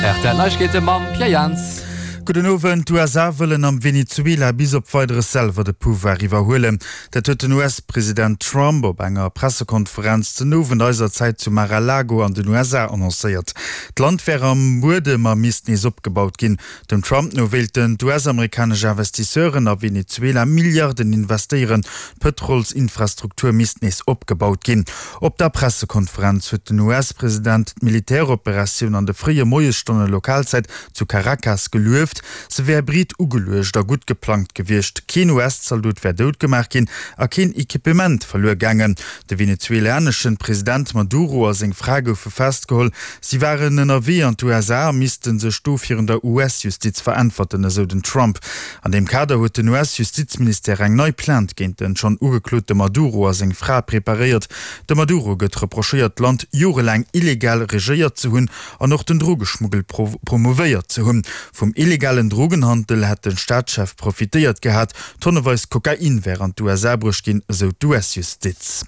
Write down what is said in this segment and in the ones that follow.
Rtl Neiegkeete mam Pierre Jans. Gudden Owend. D'USA wëllen am Venezuela bis op Weideres selwer de Pouvoir iwwerhuelen. Dat huet den US-President Trump op enger Pressekonferenz den Owend eiser Zäit zu Mar-a-Lago an den USA annoncéiert. D'Land wär am Buedem a misst nees opgebaut ginn. Dem Trump no wéilten d'US-amerikanesch Investisseuren a Venezuela Milliarden investéieren. D'Pëtrolsinfrastruktur misst nees opgebaut ginn. Op der Pressekonferenz huet den US-President d'Militäroperatioun an de fréie Moiesstonne Lokalzäit zu Caracas gelueft. Se wär breet ugeluecht a gutt geplangt gewiescht. Keen US-Zaldot wär dout gemaach ginn a keen Equipement verluer gaangen. De venezuelaneschen President Maduro a seng Fra goufe festgeholl. Si waren ënnerwee an d'USA a misste sech do virun der US-Justiz veräntwerten, esou den Trump. An deem Kader huet den US-Justizministère eng nei Plainte géint den schonn ugeklote Maduro a seng Fra preparéiert. Dem Maduro gëtt reprochéiert, d'Land jorelaang illegal regéiert ze hunn an och den Drogeschmuggel promouvéiert ze hunn. Vum illegalen Drogenhandel hätt de Staatschef profitéiert gehat, tonneweis Kokain wär an d'USA bruecht ginn, esou d'US-Justiz.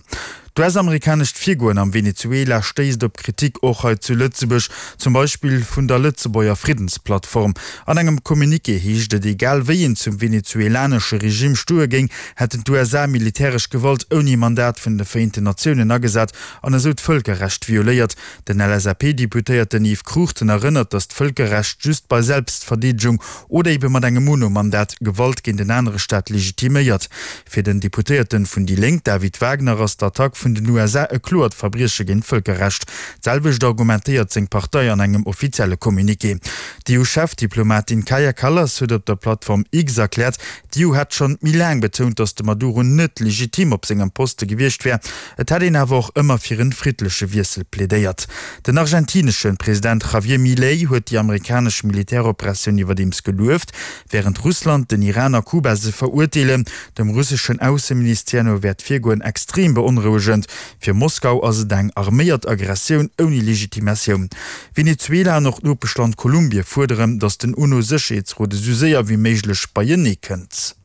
D'US-amerikanescht Virgoen am Venezuela stéisst op Kritik och hei zu Lëtzebuerg, zum Beispill vun der Lëtzebuerger Friddensplattform. An engem Communiqué heescht et, egal wéi een zum venezuelanesche Regime stoe géing, hätten d'USA militäresch Gewalt ouni Mandat vun de Vereenten Natiounen agesat an esou d'Vëlkerrecht violéiert. Den LSAP-Deputéierten Yves Cruchten erënnert, datt d'Vëlkerrecht just bei Selbstverdeedegung oder ebe mat engem UNO-Mandat Gewalt géint en anere Staat legitiméiert. Fir den Deputéierten vun déi Lénk David Wagner ass d'Attack vun den USA e kloert Verbrieche géint d'Vëlkerrecht. D'selwecht argumentéiert seng Partei an engem offizielle Communiqué. D'EU-Chefdiplomatin Kaja Kallas huet op der Plattform X erkläert, d'EU hätt schonn méi laang betount, datt de Maduro net legitim op sengem Poste gewiescht wär. Et hätt een awer och ëmmer fir en friddleche Wiessel plädéiert. Den argentinesche President Javier Milei huet déi amerikanesch Militäroperatioun iwwerdeems gelueft, wärend Russland, den Iran a Kuba se verurteelen. Dem russeschen Ausseministère no wär d'Virgoen extrem beonrouegend. Fir Moskau ass et eng arméiert Aggressioun ouni Legitimatioun. Venezuela an och d'Nopeschland Kolumbie fuerderen, datt den UNO-Sécherheetsrot esou séier wéi méiglech beienee kënnt.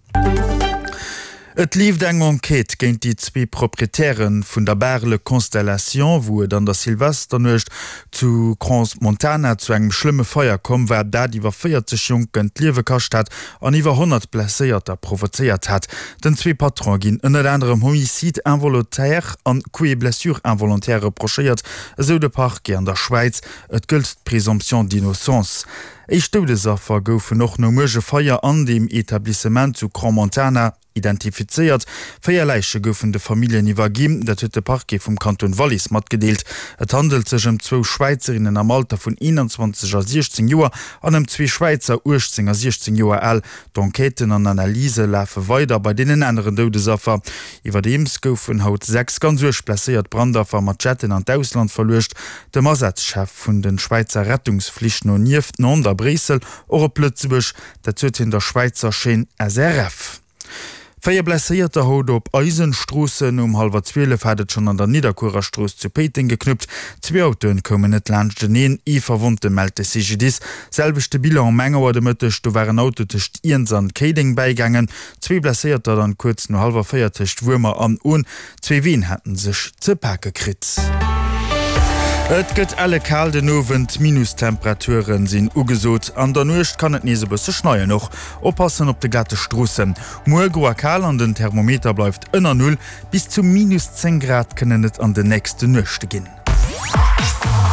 Et leeft eng Enquête géint déi zwee Proprietäre vun der Bar Le Constellation, wou et an der Silvesternuecht zu Crans-Montana zu engem schlëmme Feier komm war, dat iwwer 40 Jonken d'Liewe kascht hat an iwwer 100 Blesséierter provozéiert hat. Den zwee Patrone ginn ënnert anerem Homicide involontaire an Coups et blessures involontaires reprochéiert, esou de Parquet an der Schwäiz. Et gëllt d'Présomption d'innocence. Éischt Doudesaffer goufen och nom uerge Feier an deem Etablissement zu Crans-Montana identifizéiert. 4 Läiche goufen de Familljen iwwerginn, dat huet de Parquet vum Kanton Wallis matgedeelt. Et handelt sech ëm zwou Schwäizerinnen am Alter vun 21 a 16 Joer an ëm zwee Schwäizer, 18 a 16 Joer al. D'Enquêten an Analyse lafe weider bei deenen aneren Doudesaffer. Iwwerdeems goufen haut 6 ganz uerg blesséiert Brandaffer mat Jetten an d'Ausland verluecht. Dem Asazchef vun de Schwäizer Rettungsflich no nieft Nantes a Bréissel och op Lëtzebuerg, dat sot hien der Schwäizer Chaîne SRF. 4 Blesséierter haut op eisen Stroossen. Um hallwer 12 hat et schonn an der Nidderkuerer Strooss zu Péiteng geknuppt. Zwee Autoen koumen net laanschteneen. Ee Verwonnte mellt de CGDIS. Selwechte Bilan um eng Auer de Mëtteg, do war en Auto tëscht Iernz an Kéideng bäigaangen. Zwee Blesséierter dann kuerz no hallwer 4 tëscht Wuermer an Ohn. Zwee Ween haten sech ze pake kritt. Et gëtt elle kal den Owend, Minustemperaturen sinn ugesot. An der Nuecht kann et nees e bësse schneien. Och oppassen op de glate Stroossen. Muer gro a kal an den Thermometer bleift ënner Null. Bis zu minus 10 Grad kënnen et an de nächste Nuechte ginn.